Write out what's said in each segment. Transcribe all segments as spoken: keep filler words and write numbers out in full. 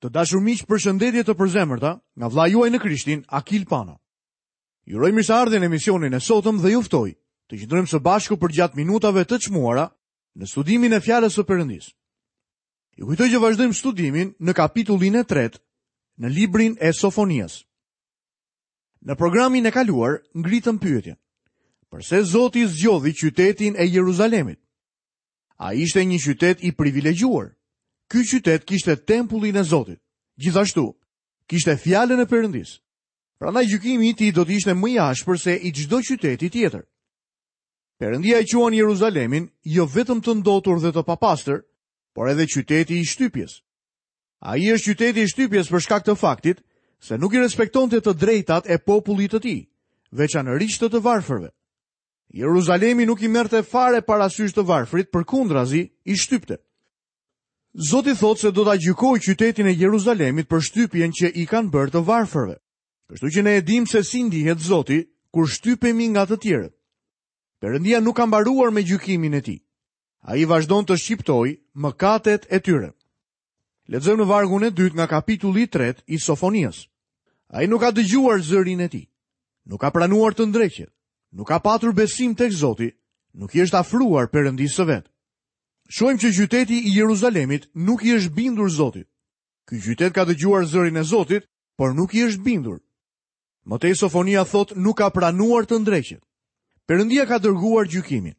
Të dashur miq, përshëndetje të përzemërta nga vëllai juaj në Krishtin, Akil Pano. Ju uroj mirëseardhjen në emisionin e sotëm dhe ju ftoj të qëndrojmë së bashku përgjatë minutave të çmuara në studimin e fjalës së Perëndisë. Ju kujtoj që vazhdojmë studimin në kapitullin e tretë në librin e Sofonias. Në programin e kaluar ngritëm pyetjen: Përse Zoti zgjodhi qytetin e Jeruzalemit? A ishte një qytet i privilegjuar? Ky qytet kishte tempullin e Zotit. Gjithashtu, kishte fjalën e Perëndisë. Prandaj gjykimi i tij do të ishte më i ashpër se i çdo qyteti tjetër. Perëndia e quan Jeruzalemin jo vetëm të ndotur dhe të papastër, por edhe qyteti i shtypjes. Ai është qyteti i shtypjes për shkak të faktit se nuk i respektonte të drejtat e popullit të tij, veçanërisht të të varfërve. Jeruzalemi nuk i merrte fare parasysh të varfrit, përkundrazi i shtypte. Zoti thotë se do ta gjykojë qytetin e Jeruzalemit për shtypjen që i kanë bërë të varfërve. Kështu që ne e dimë se si ndihet Zoti kur shtypemi nga të tjerët. Perëndia nuk ka mbaruar me gjykimin e tij. Ai vazhdon të shqiptojë mëkatet e tyre. Lexojmë në vargun e dytë nga kapitulli i tretë i Sofonias. Ai nuk ka dëgjuar zërin e tij. Nuk ka pranuar të ndreqet. Nuk ka patur besim tek Zoti, nuk i është afruar Perëndisë së vet. Shohim që qyteti i Jeruzalemit nuk i është bindur Zotit. Ky qytet ka dëgjuar zërin e Zotit, por nuk i është bindur. Më tej Sofonia thotë nuk ka pranuar të ndreqet. Perëndia ka dërguar gjykimin.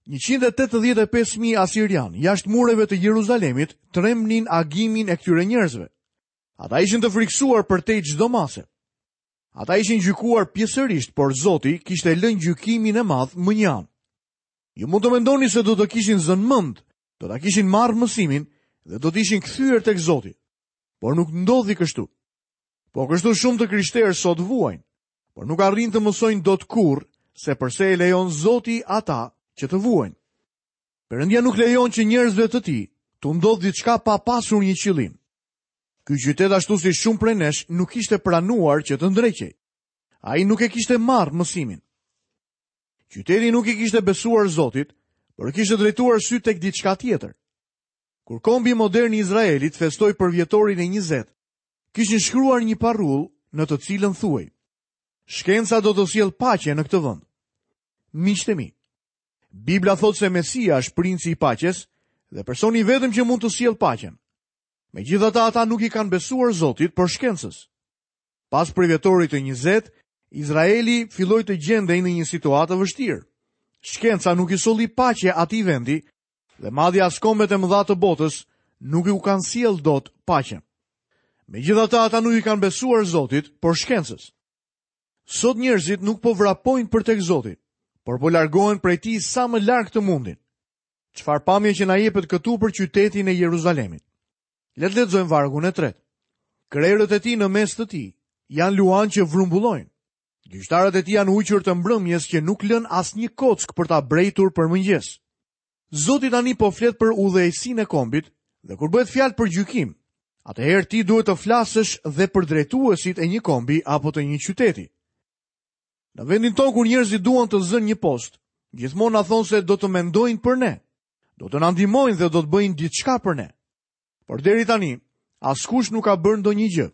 njëqind e tetëdhjetë e pesë mijë asirian jashtë mureve të Jeruzalemit trembnin agimin e këtyre njerëzve. Ata ishin të friksuar për tej çdo mase. Ata ishin gjykuar pjesërisht, por Zoti kishte lënë gjykimin e madh më një anë. Ju mund të mendoni se do të kishin zënë mend, do ta kishin marrë mësimin dhe do të ishin kthyer tek Zoti. Por nuk ndodhi kështu. Po kështu shumë të krishterë sot vuajnë, por nuk arrin të mësojnë dot kurrë se përse e lejon Zoti ata që të vuajnë. Perëndia nuk lejon që njerëzve të tij t'u ndodh diçka pa pasur një qëllim. Ky qytet ashtu si shumë prej nesh nuk ishte pranuar që të ndreqej. Ai nuk e kishte marrë mësimin. Qyteti nuk i kishte besuar Zotit, por kishte drejtuar sy tek diçka tjetër. Kur kombi modern i Izraelit festoi për vjetorin e njëzet, kishin shkruar një parrull në të cilën thuhej: Shkenca do të sjellë paqe në këtë vend. Miqtë e mi, Bibla thotë se Mesia është princi i paqes dhe personi i vetëm që mund të sjellë paqen. Megjithatë ata nuk i kanë besuar Zotit, por shkencës. Pas përvjetorit të njëzet, Izraeli filloi të gjendej në një situatë të vështirë. Shkenca nuk i solli paqe atij vendi dhe madje as kombet e mëdha të botës nuk u kanë sjellë dot paqen. Megjithatë ata nuk i kanë besuar Zotit, por shkencës. Sot njerëzit nuk po vrapojnë për tek Zoti, por po largohen prej tij sa më larg të mundin. Çfarë pamje që na jepet këtu për qytetin e Jeruzalemit. Le të lexojmë vargun e tretë. Krerët e tij në mes të tij janë luan që vrumbullojnë. Gjyqtarët e tij janë ujqër të mbrëmjes që nuk lën asnjë kockë për ta brejtur për mëngjes. Zoti tani po flet për udhëheqësinë e kombit dhe kur bëhet fjalë për gjykim, atëherë ti duhet të flasësh dhe për drejtuesit e një kombi apo të një qyteti. Në vendin tonë kur njerëzit duan të zënë një post, gjithmonë na thonë se do të mendojnë për ne, do të na ndihmojnë dhe do të bëjnë diçka për ne. Por deri tani, askush nuk ka bërë ndonjë gjë,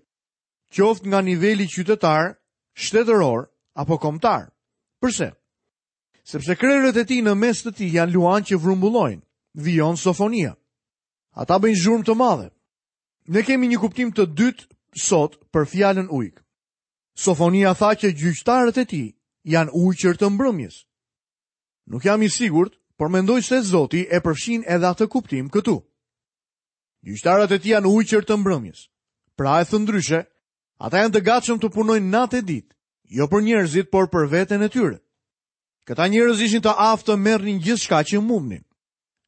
qoftë nga niveli qytetar, shtetëror apo kombëtar. Përse? Sepse krerët e tij në mes të tij janë luan që vrumbullojnë, vijon Sofonia. Ata bëjnë zhurmë të madhe. Ne kemi një kuptim të dytë sot për fjalën ujk. Sofonia tha që gjyqtarët e tij janë ujqër të mbrëmjes. Nuk jam i sigurt, por mendoj se Zoti e përfshin edhe atë kuptim këtu. Gjyqtarët e tij janë ujqër të mbrëmjes. Pra e thënë ndryshe, ata janë të gatshëm të punojnë natë e ditë, jo për njerëzit, por për veten e tyre. Këta njerëz ishin të aftë të merrnin gjithçka që mundnin.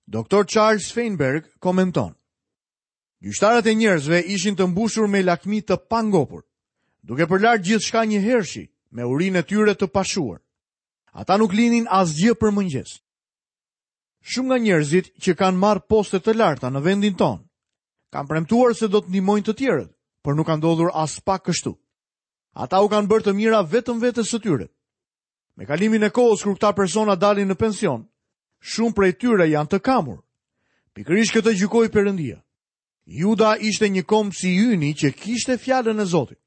Doktor Charles Feinberg komenton: Gjyqtarët e njerëzve ishin të mbushur me lakmi të pangopur, duke përlarë gjithçka njëhershi me urinë e tyre të pashuar. Ata nuk linin asgjë për mëngjes. Shumë nga njerëzit që kanë marrë poste të larta në vendin tonë kanë premtuar se do të ndihmojnë të tjerët, por nuk ka ndodhur as pak kështu. Ata u kanë bërë të mira vetëm vetes së tyre. Me kalimin e kohës kur këta persona dalin në pension, shumë prej tyre janë të kamur. Pikërisht këtë gjykoi Perëndia. Juda ishte një komb si yni që kishte fjalën e Zotit.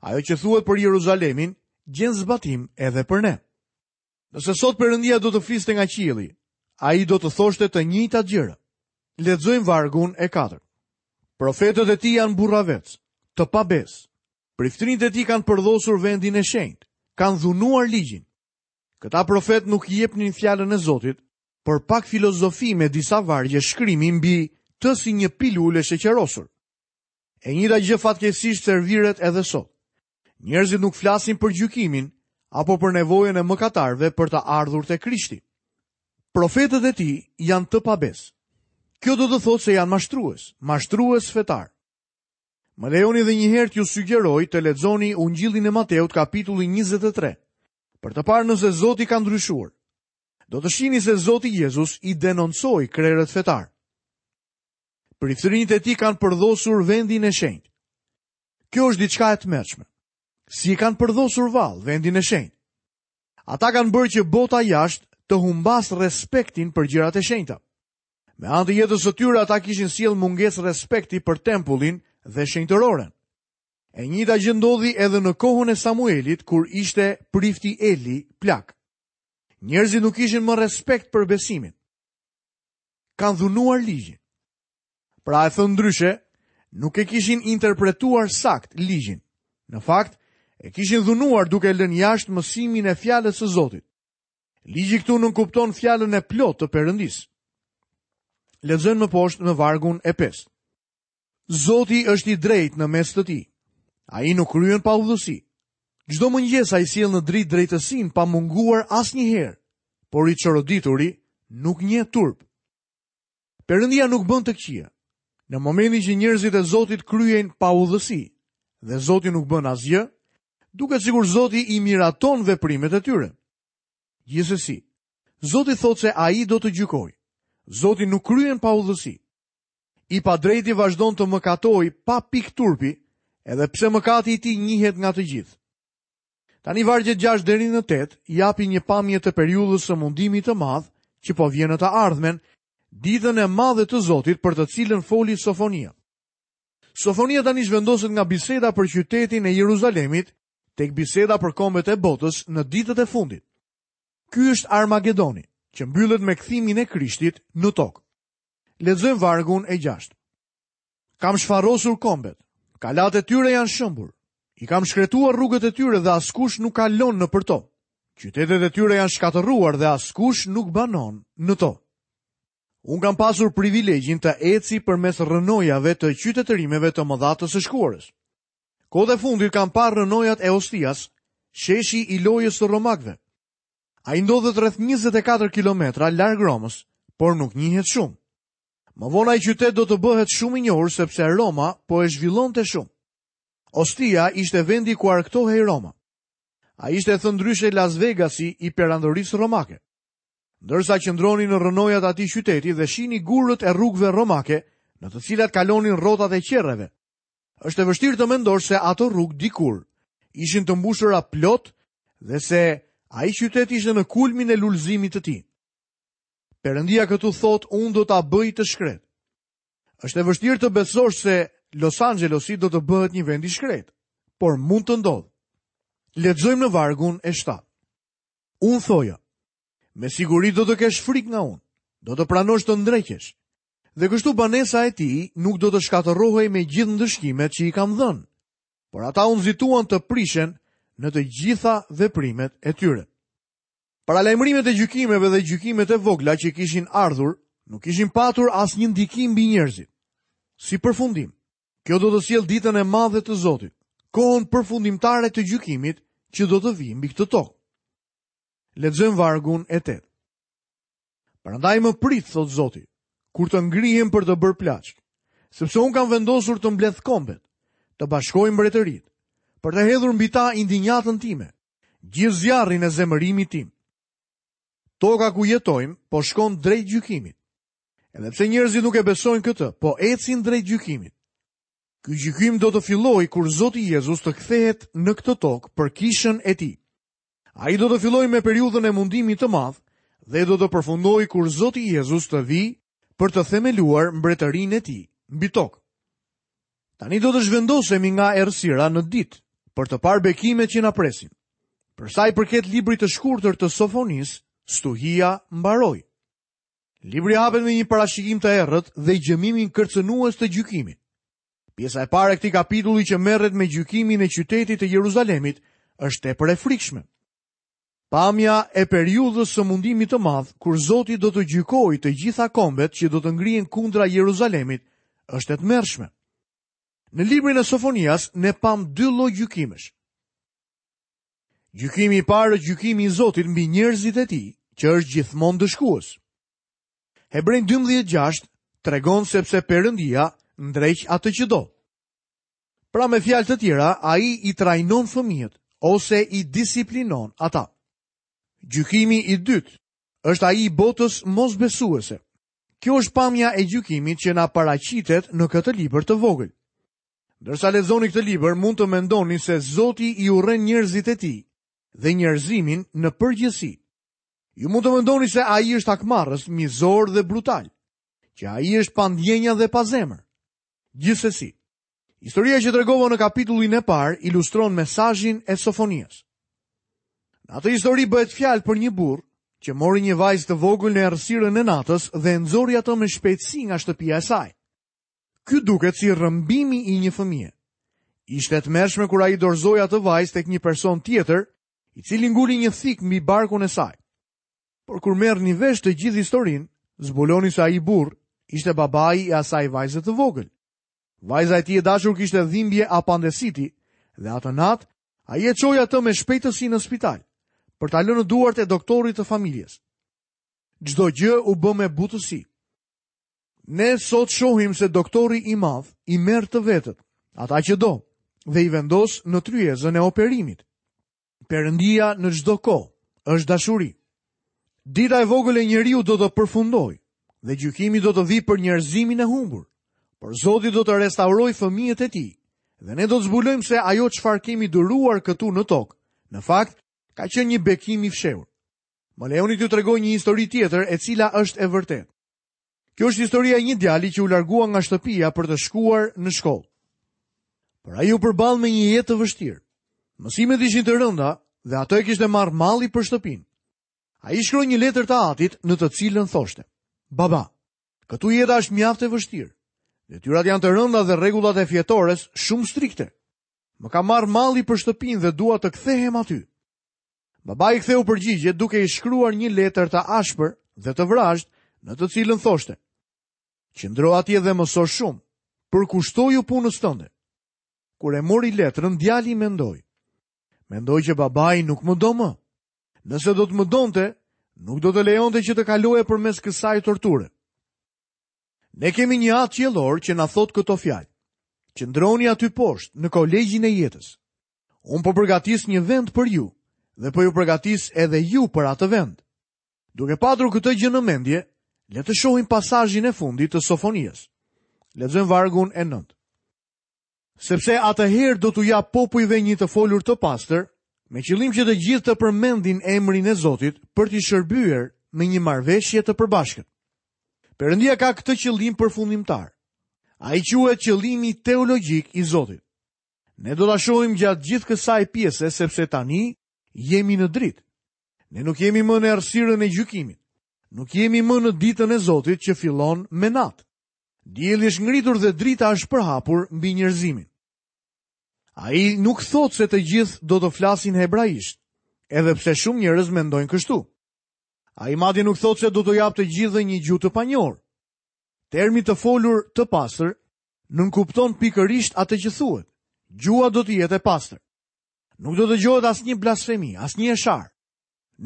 Ajo që thuhet për Jeruzalemin gjen zbatim edhe për ne. Nëse sot Perëndia do të fliste nga qielli, ai do të thoshte të njëjtat gjëra. Lexojmë vargun e katërt. Profetët e tij janë burravec, të pabes. Priftërinjtë e tij kanë përdhosur vendin e shenjtë, kanë dhunuar ligjin. Këta profet nuk jepnin fjalën e Zotit, por pak filozofi me disa vargje shkrimi mbi të si një pilulë e sheqerosur. E njëjta gjë fatkeqësisht serviret edhe sot. Njerëzit nuk flasin për gjykimin apo për nevojën e mëkatarëve për të ardhur te Krishti. Profetët e tij janë të pabes. Kjo do të thotë se janë mashtrues, mashtrues fetar. Më lejoni edhe një herë t'ju sugjeroj të lexoni Ungjillin e Mateut kapitulli njëzet e tre, për të parë nëse Zoti ka ndryshuar. Do të shihni se Zoti Jezus i denoncoi krerët fetar. Priftërinjtë e tij kanë përdhosur vendin e shenjtë. Kjo është diçka e tmerrshme. Si e kanë përdhosur vallë vendin e shenjtë? Ata kanë bërë që bota jashtë të humbas respektin për gjërat e shenjta. Me anë të jetës së tyre ata kishin sjellë mungesë respekti për tempullin dhe shenjtëroren. E njëjta gjë ndodhi edhe në kohën e Samuelit kur ishte prifti Eli plak. Njerëzit nuk kishin më respekt për besimin. Kanë dhunuar ligjin. Pra e thënë ndryshe, nuk e kishin interpretuar sakt ligjin. Në fakt, e kishin dhunuar duke lënë jashtë mësimin e fjalës së Zotit. Ligji këtu nënkupton fjalën e plotë të Perëndisë. Lexojmë më poshtë në vargun e pestë. Zoti është i drejtë në mes të tij. Ai nuk kryen pa udhësi. Çdo mëngjes ai sjell në dritë drejtësinë pa munguar asnjëherë, por i çorodituri nuk njeh turp. Perëndia nuk bën të këqija. Në momentin që njerëzit e Zotit kryejnë pa udhësi dhe Zoti nuk bën asgjë, duket sikur Zoti i miraton veprimet e tyre. Gjithsesi, Zoti thotë se ai do të gjykojë. Zoti nuk kryen pa udhësi. I padrejti vazhdon të mëkatojë pa pikë turpi, edhe pse mëkati i tij njihet nga të gjithë. Tani vargjet gjashtë deri në tetë japin një pamje të periudhës së mundimit të madh që po vjen në të ardhmen, ditën e madhe të Zotit për të cilën foli Sofonia. Sofonia tani zhvendoset nga biseda për qytetin e Jeruzalemit tek biseda për kombet e botës në ditët e fundit. Ky është Armagedoni, që mbyllet me kthimin e Krishtit në tokë. Lexojmë vargun e gjashtë. Kam shfarosur kombet, kalat e tyre janë shëmbur. I kam shkretuar rrugët e tyre dhe askush nuk kalon nëpër to. Qytetet e tyre janë shkatërruar dhe askush nuk banon në to. Unë kam pasur privilegjin të eci përmes rrënojave të qytetërimeve të mëdha të së shkuarës. Kohët e fundit kam parë rrënojat e Ostias, sheshi i lojës së romakëve. Ai ndodhet rreth njëzet e katër kilometra larg Romës, por nuk njihet shumë. Më vonë ai qytet do të bëhet shumë i njohur sepse Roma po e zhvillonte shumë. Ostia ishte vendi ku arkëtohej Roma. Ai ishte thënë ndryshe Las Vegasi i perandorisë romake. Ndërsa qëndroni në rrënojat e atij qyteti dhe shihni gurët e rrugëve romake, në të cilat kalonin rrotat e qerreve, është e vështirë të mendosh se ato rrugë dikur ishin të mbushura plot dhe se ai qytet ishte në kulmin e lulëzimit të tij. Perëndia këtu thotë, unë do ta bëj të shkret. Është e vështirë të besosh se Los Angelesi do të bëhet një vend i shkret, por mund të ndodhë. Lexojmë në vargun e shtatë. Unë thoja, me siguri do të kesh frikë nga unë, do të pranosh të ndreqesh. Dhe kështu banesa e tij nuk do të shkatërrohej me gjithë ndëshkimet që i kam dhënë, por ata u nxituan të prishen në të gjitha veprimet e tyre. Paralajmërimet e gjykimeve dhe gjykimet e vogla që kishin ardhur nuk kishin patur asnjë ndikim mbi njerëzit. Si përfundim, kjo do të sjellë ditën e madhe të Zotit, kohën përfundimtare të gjykimit që do të vijë mbi këtë tokë. Lexojmë vargun e tetë. Prandaj më prit, thot Zoti, kur të ngrihem për të bërë plaçk, sepse unë kam vendosur të mbledh kombet, të bashkoj mbretëritë, për të hedhur mbi ta indinjatën time, gjithë zjarrin e zemërimit tim. Toka ku jetojmë po shkon drejt gjykimit. Edhe pse njerëzit nuk e besojnë këtë, po ecin drejt gjykimit. Ky gjykim do të fillojë kur Zoti Jezus të kthehet në këtë tokë për kishën e tij. Ai do të fillojë me periudhën e mundimit të madh dhe do të përfundojë kur Zoti Jezus të vijë për të themeluar mbretërinë e tij mbi tokë. Tani do të zhvendosemi nga errësira në ditë për të parë bekimet që na presin. Për sa i përket librit të shkurtër të Sofonisë, stuhia mbaroi. Libri hapet me një parashikim të errët dhe gjëmimin kërcënues të gjykimit. Pjesa e parë e këtij kapitulli që merret me gjykimin e qytetit të Jeruzalemit është tepër e frikshme. Pamja e periudhës së mundimit të madh, kur Zoti do të gjykojë të gjitha kombet që do të ngrihen kundra Jeruzalemit, është e tmerrshme. Në librin e Sofonias ne pam dy lloj gjykimesh. Gjykimi i parë është gjykimi i Zotit mbi njerëzit e tij, që është gjithmonë ndëshkues. Hebrenj dymbëdhjetë gjashtë tregon sepse Perëndia ndreq atë që do. Pra me fjalë të tjera, ai i trajnon fëmijët ose i disiplinon ata. Gjykimi i dytë është ai i botës mosbesuese. Kjo është pamja e gjykimit që na paraqitet në këtë libër të vogël. Ndërsa lexoni këtë libër, mund të mendoni se Zoti i urren njerëzit e tij dhe njerëzimin në përgjithësi. Ju mund të mendoni se ai është hakmarrës, mizor dhe brutal, që ai është pa ndjenja dhe pa zemër. Gjithsesi, historia që tregova në kapitullin e parë ilustron mesazhin e Sofonias. Në atë histori bëhet fjalë për një burrë që mori një vajzë të vogël në errësirën e natës dhe e nxori atë me shpejtësi nga shtëpia e saj. Ky duket si rrëmbimi i një fëmije. Ishte e tmerrshme kur ai dorëzoi atë vajzë tek një person tjetër, i cili nguli një thikë mbi barkun e saj. Por kur merrni vesh të gjithë historinë, zbuloni se ai burr ishte babai i asaj vajze të vogël. Vajza e tij e dashur kishte dhimbje apandesiti dhe atë natë ai e çoi atë me shpejtësi në spital për ta lënë në duart e doktorit të familjes. Çdo gjë u bë me butësi. Ne sot shohim se doktori i madh i merr të vetët, ata që do, dhe i vendos në tryezën e operimit. Perëndia në çdo kohë është dashuri. Dita e vogël e njeriu do të përfundojë dhe gjykimi do të vijë për njerëzimin e humbur. Por Zoti do të restaurojë fëmijët e tij dhe ne do të zbulojmë se ajo çfarë kemi duruar këtu në tokë, në fakt, ka qenë një bekim i fshehur. Më lejoni t'ju tregoj një histori tjetër e cila është e vërtetë. Kjo është historia e një djali që u largua nga shtëpia për të shkuar në shkollë. Por ai u përball me një jetë të vështirë. Mësimet ishin të rënda dhe ato e kishte marrë malli për shtëpinë. Ai shkroi një letër të atit në të cilën thoshte: Baba, këtu jeta është mjaft e vështirë. Detyrat janë të rënda dhe rregullat e fjetores shumë strikte. Më ka marrë malli për shtëpinë dhe dua të kthehem aty. Baba i ktheu përgjigje duke i shkruar një letër të ashpër dhe të vrazhd në të cilën thoshte: Qëndro atje dhe mëso shumë, përkushtoju punës tënde. Kur e mori letrën, djali mendoi: Mendoj që babai nuk më do më. Nëse do të më donte, nuk do të lejonte që të kaloje përmes kësaj torture. Ne kemi një atë qiellor që na thot këto fjalë: Qëndroni aty poshtë në kolegjin e jetës. Unë po përgatis një vend për ju dhe po ju përgatis edhe ju për atë vend. Duke patur këtë gjë në mendje, le të shohim pasazhin e fundit të Sofonias. Lexojmë vargun e nëntë. Sepse atëherë do t'u jap popujve një të folur të pastër, me qëllim që të gjithë të përmendin emrin e Zotit për t'i shërbyer me një marrëveshje të përbashkët. Perëndia ka këtë qëllim përfundimtar. Ai quhet qëllimi teologjik i Zotit. Ne do ta shohim gjatë gjithë kësaj pjese sepse tani jemi në dritë. Ne nuk jemi më në errësirën e gjykimit. Nuk jemi më në ditën e Zotit që fillon me natë. Dielli është ngritur dhe drita është përhapur mbi njerëzimin. Ai nuk thotë se të gjithë do të flasin hebraisht, edhe pse shumë njerëz mendojnë kështu. Ai madje nuk thotë se do t'u japë të gjithëve një gjuhë të panjohur. Termi të folur të pastër nënkupton pikërisht atë që thuhet. Gjuha do të jetë e pastër. Nuk do të dëgjohet asnjë blasfemi, asnjë e sharë.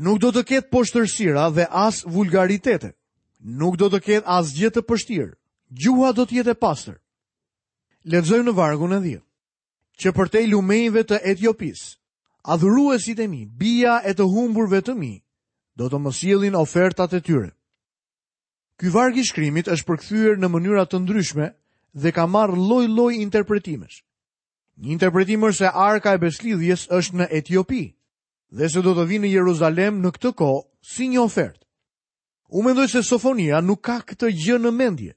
Nuk do të ketë poshtërsira dhe as vulgaritete. Nuk do të ketë asgjë të pështirë. Gjuha do të jetë e pastër. Lexojmë në vargun e dhjetë. Që përtej lumenjve të Etiopisë, adhuruesit e mi, bija e të humburve të mi, do të më sjellin ofertat e tyre. Ky varg i shkrimit është përkthyer në mënyra të ndryshme dhe ka marrë lloj-lloj interpretimesh. Një interpretim është se arka e beslidhjes është në Etiopi dhe se do të vinë në Jeruzalem në këtë kohë si një ofertë. Unë mendoj se Sofonia nuk ka këtë gjë në mendje.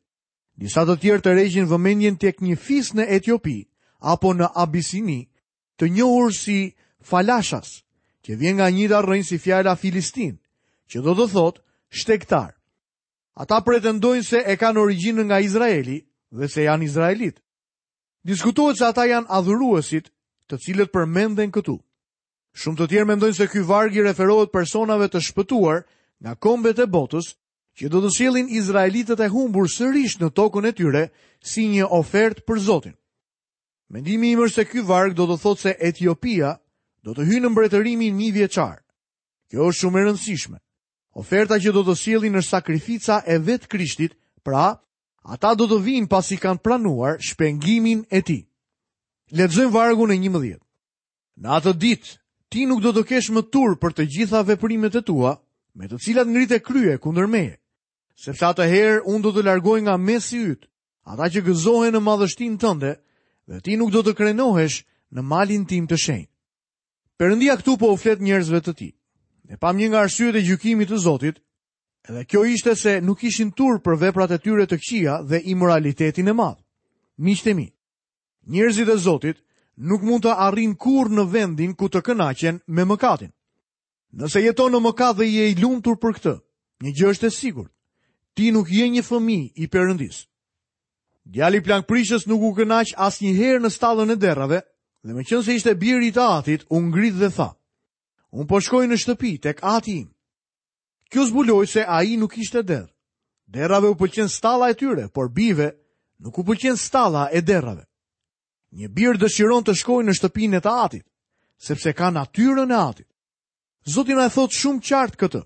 Disa të tjerë tërheqin vëmendjen tek një fis në Etiopi apo në Abisini, të njohur si Falashas, që vjen nga një rrënjë si fjala Filistin, që do të thotë shtegtar. Ata pretendojnë se e kanë origjinën nga Izraeli dhe se janë izraelit. Diskutohet se ata janë adhuruesit, të cilët përmenden këtu. Shumë të tjerë mendojnë se ky varg i referohet personave të shpëtuar nga kombet e botës, që do të sjellin izraelitët e humbur sërish në tokën e tyre si një ofertë për Zotin. Mendimi im është se ky varg do të thotë se Etiopia do të hyjë në mbretërimin mijëvjeçar. Kjo është shumë e rëndësishme. Oferta që do të sjellin është sakrifica e vetë Krishtit, pra ata do të vinë pasi kanë pranuar shpengimin e tij. Lexojmë vargun e njëmbëdhjetë. Në atë ditë ti nuk do të kesh më turp për të gjitha veprimet e tua, me të cilat ngrite krye kundër meje, sepse atëherë unë do të largoj nga mesi yt ata që gëzohen në madhështinë tënde, dhe ti nuk do të krenohesh në malin tim të shenjtë. Perëndia këtu po u flet njerëzve të tij. Ne pam një nga arsyet e gjykimit të Zotit, edhe kjo ishte se nuk ishin turp për veprat e tyre të këqija dhe imoralitetin e madh. Miqtë e mi, njerëzit e Zotit nuk mund të arrijnë kurrë në vendin ku të kënaqen me mëkatin. Nëse jeton në mëkat dhe je i lumtur për këtë, një gjë është e sigurt: ti nuk je një fëmijë i Perëndisë. Djali plankprishës nuk u kënaq asnjëherë në stallën e derrave, dhe meqense ishte biri i të atit, u ngrit dhe tha: "Unë po shkoj në shtëpi tek ati im." Kjo zbuloi se ai nuk ishte derr. Derrave u pëlqen stalla e tyre, por bijve nuk u pëlqen stalla e derrave. Një bir dëshiron të shkojë në shtëpinë e të atit, sepse ka natyrën e atit. Zoti na e thot shumë qartë këtë.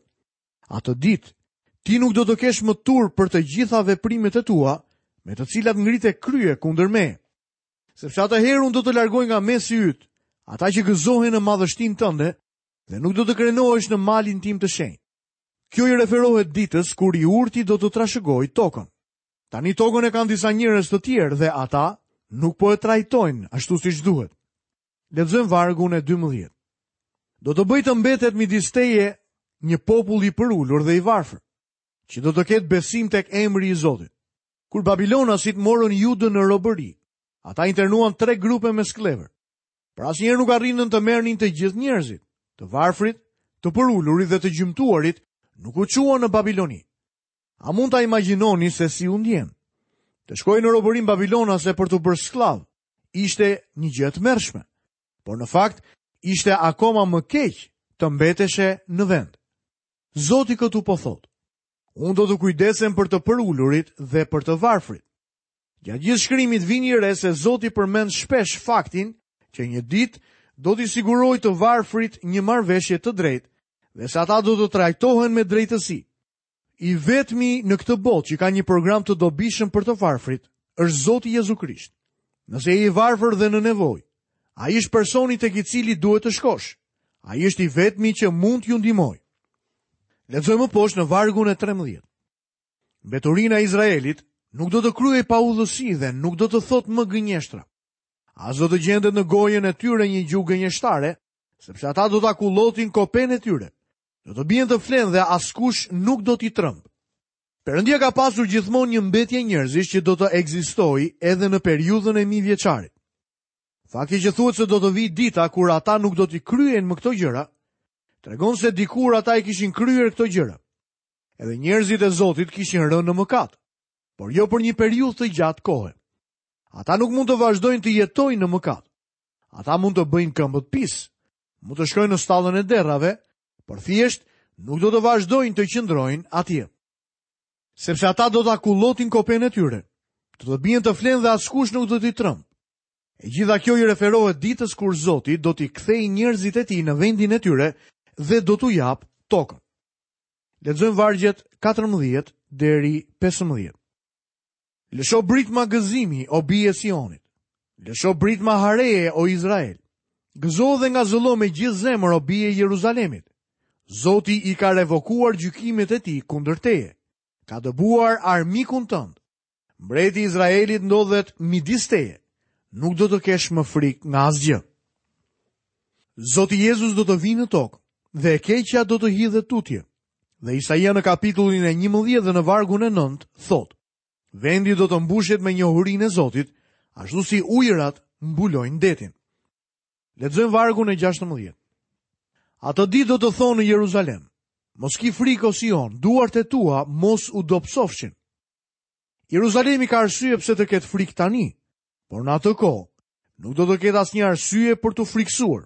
Atë ditë ti nuk do të kesh më turp për të gjitha veprimet e tua, me të cilat ngrite krye kundër meje. Sepse atëherë unë do të largoj nga mesi yt ata që gëzohen në madhështinë tënde dhe nuk do të krenohesh në malin tim të shenjtë. Kjo i referohet ditës kur i urti do të trashëgojë tokën. Tani tokën e kanë disa njerëz të tjerë dhe ata nuk po e trajtojnë ashtu siç duhet. Lexojmë vargun e dymbëdhjetë. Do të bëj të mbetet midis teje një popull i përulur dhe i varfër, që do të ketë besim tek emri i Zotit. Kur Babilonasit morën Judën në robëri, ata internuan tre grupe me skllevër. Por asnjëherë nuk arrinën të merrnin të gjithë njerëzit, të varfrit, të përulurit dhe të gjymtuarit nuk u çuan në Babiloni. A mund ta imagjinoni se si u ndjen? Të shkojë në robërinë babilonase për të bërë skllav ishte një gjë e tmerrshme, por në fakt ishte akoma më keq të mbeteshe në vend. Zoti këtu po thotë: "Unë do të kujdesem për të përulurit dhe për të varfrit." Gjatë gjithë shkrimit vini re se Zoti përmend shpesh faktin që një ditë do t'i sigurojë të varfrit një marrëveshje të drejtë dhe se ata do të trajtohen me drejtësi. I vetmi në këtë botë që ka një program të dobishëm për të varfrit është Zoti Jezu Krisht. Nëse je i varfër dhe në nevojë, ai është personi tek i cili duhet të shkosh. Ai është i vetmi që mund t'ju ndihmojë. Lexojmë më poshtë në vargun e trembëdhjetë. Mbeturina e Izraelit nuk do të kryej paudhësi dhe nuk do të thotë më gënjeshtra. As do të gjendet në gojën e tyre një gjuhë gënjeshtare, sepse ata do ta kullotin kopen e tyre. Do të bien të flenë dhe askush nuk do t'i tremb. Perëndia ka pasur gjithmonë një mbetje njerëzish që do të ekzistojë edhe në periudhën e mijëvjeçarit. Fakti që thuhet se do të vijë dita kur ata nuk do t'i kryejnë më këto gjëra, tregon se dikur ata i kishin kryer këto gjëra. Edhe njerëzit e Zotit kishin rënë në mëkat, por jo për një periudhë të gjatë kohe. Ata nuk mund të vazhdojnë të jetojnë në mëkat. Ata mund të bëjnë këmbët pis, mund të shkojnë në stallën e derrave, por thjesht nuk do të vazhdojnë të qëndrojnë atje. Sepse ata do ta kullotin kopen e tyre, do të bien të flenë dhe askush nuk do t'i tremb. E gjitha kjo i referohet ditës kur Zoti do t'i kthejë njerëzit e tij në vendin e tyre dhe do t'u japë tokën. Lexojmë vargjet katërmbëdhjetë deri pesëmbëdhjetë. Lësho britma gëzimi, o bije Sionit. Lësho britma hareje, o Izrael. Gëzo dhe ngazëllo me gjithë zemër, o bije Jeruzalemit. Zoti i ka revokuar gjykimet e tij kundër teje. Ka dëbuar armikun tënd. Mbreti i Izraelit ndodhet midis teje. Nuk do të kesh më frikë nga asgjë. Zoti Jezus do të vijë në tokë dhe e keqja do të hidhet tutje. Dhe Isaia në kapitullin e njëmbëdhjetë dhe në vargun e nëntë thotë: Vendi do të mbushet me njohurinë e Zotit, ashtu si ujërat mbulojnë detin. Lexojmë vargun e gjashtëmbëdhjetë. Atë ditë do të thonë në Jeruzalem: Mos ki frikë, o Sion, duart e tua mos u dobësofshin. Jeruzalemi ka arsye pse të ketë frikë tani, por në atë kohë nuk do të ketë asnjë arsye për t'u frikësuar.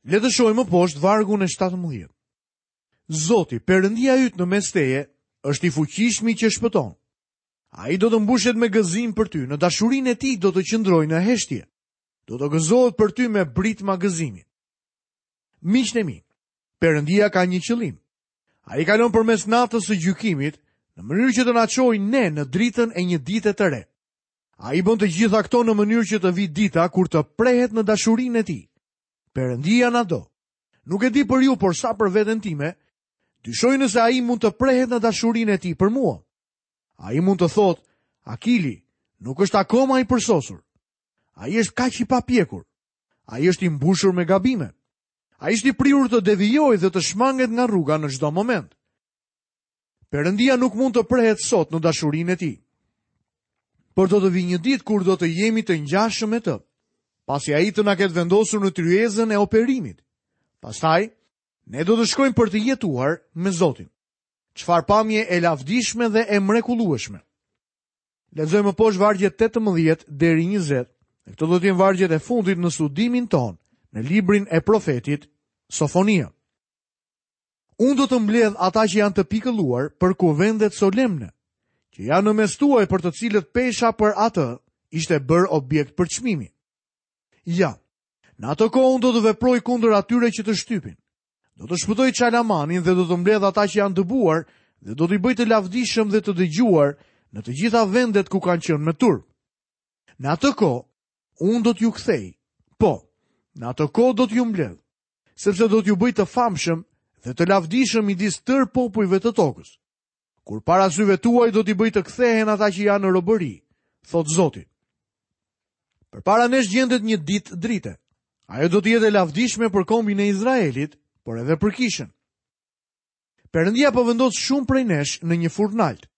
Le të shohim më poshtë vargun e shtatëmbëdhjetë. Zoti, Perëndia yt në mes teje, është i fuqishmi që shpëton. Ai do të mbushet me gëzim për ty, në dashurinë e tij do të qëndrojë në heshtje. Do të gëzohet për ty me britma gëzimi. Miqtë e mi, Perëndia ka një qëllim. Ai kalon përmes natës së gjykimit në mënyrë që të na çojë ne në dritën e një dite të re. Ai bën të gjitha këto në mënyrë që të vijë dita kur të prehet në dashurinë e tij. Perëndia na do. Nuk e di për ju, por sa për veten time, dyshoj nëse ai mund të prehet në dashurinë e tij për mua. Ai mund të thotë, Akili nuk është akoma i përsosur. Ai është kaq i papjekur. Ai është i mbushur me gabime. Ai është i prirur të devijojë dhe të shmanget nga rruga në çdo moment. Perëndia nuk mund të prehet sot në dashurinë e tij. Por do të vijë një ditë kur do të jemi të ngjashëm me të, pasi ai të na ketë vendosur në tryezën e operimit. Pastaj, ne do të shkojmë për të jetuar me Zotin. Çfarë pamje e lavdishme dhe e mrekullueshme. Lexojmë më poshtë vargjet tetëmbëdhjetë deri njëzet. Dhe këto do të jenë vargjet e fundit në studimin tonë në librin e profetit Sofonia. Unë do të mbledh ata që janë të pikëlluar për kuvendet solemne, që janë në mes tuaj për të cilët pesha për atë ishte bërë objekt për çmimi. Ja, në atë kohë unë do të veproj kundër atyre që të shtypin. Do të shpëtoj Çalamanin dhe do të mbledh ata që janë dëbuar dhe do t'i bëj të lavdishëm dhe të dëgjuar në të gjitha vendet ku kanë qenë me turp. Në atë kohë, unë do t'ju kthej, po, në atë kohë do t'ju mbledh, sepse do t'ju bëj të famshëm dhe të lavdishëm midis tërë popujve të tokës. Kur para syve tuaj do t'i bëj të kthehen ata që janë në robëri, thot Zoti. Përpara nesh gjendet një ditë drite. Ajo do të jetë e lavdishme për kombin e Izraelit, por edhe për kishën. Perëndia po vendos shumë prej nesh në një furnalt.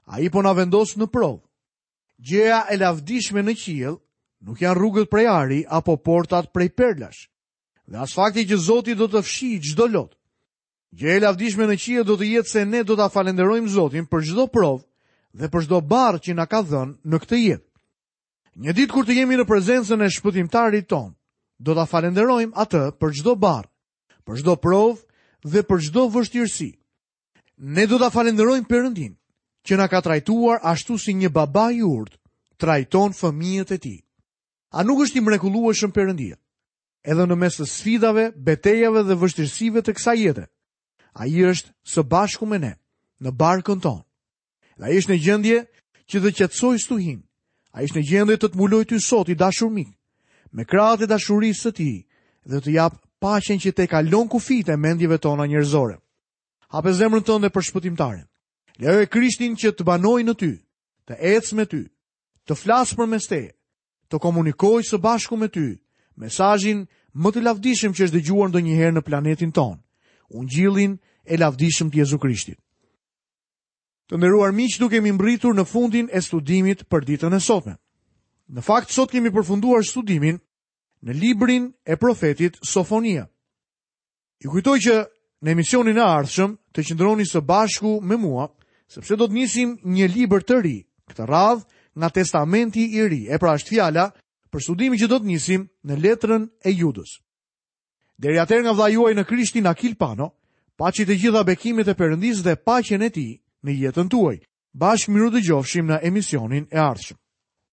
Ai po na vendos në provë. Gjëja e lavdishme në qiell nuk janë rrugët prej ari apo portat prej perlash. Dhe as fakti që Zoti do të fshijë çdo lot. Gjëja e lavdishme në qiell do të jetë se ne do ta falenderojmë Zotin për çdo provë dhe për çdo barrë që na ka dhënë në këtë jetë. Një ditë kur të jemi në prezencën e shpëtimtarit ton, do ta falenderojmë atë për çdo barrë, për çdo provë dhe për çdo vështirësi. Ne do ta falenderojmë Perëndin që na ka trajtuar ashtu si një baba i urtë trajton fëmijët e tij. A nuk është i mrekullueshëm Perëndia? Edhe në mes të sfidave, betejave dhe vështirësive të kësaj jete, ai është së bashku me ne, në barkën tonë. Dhe ai është në gjendje që të qetësojë stuhinë. Ai është në gjendje të të mbulojë ty sot, i dashur mik, me krahët e dashurisë së tij dhe të jap paqen që te kalon kufijtë e mendjeve tona njerëzore. Hape zemrën tënde për shpëtimtarin. Lejoje Krishtin që të banojë në ty, të ecë me ty, të flasë përmes teje, të komunikojë së bashku me ty mesazhin më të lavdishëm që është dëgjuar ndonjëherë në planetin tonë, ungjillin e lavdishëm të Jezu Krishtit. Të nderuar miq, duke kemi mbërritur në fundin e studimit për ditën e sotme. Në fakt, sot kemi përfunduar studimin në librin e profetit Sofonia. Ju kujtoj që në emisionin e ardhshëm të qëndroni së bashku me mua, sepse do të nisim një libër të ri, këtë radhë nga Testamenti i Ri. E pra është fjala për studimin që do të nisim në letrën e Judës. Deri atëherë nga vëllai juaj në Krishtin Akil Pano, paçi të gjitha bekimet e Perëndisë dhe paqen e tij në jetën tuaj. Bashkë mirudëgjofshim në emisionin e ardhshëm.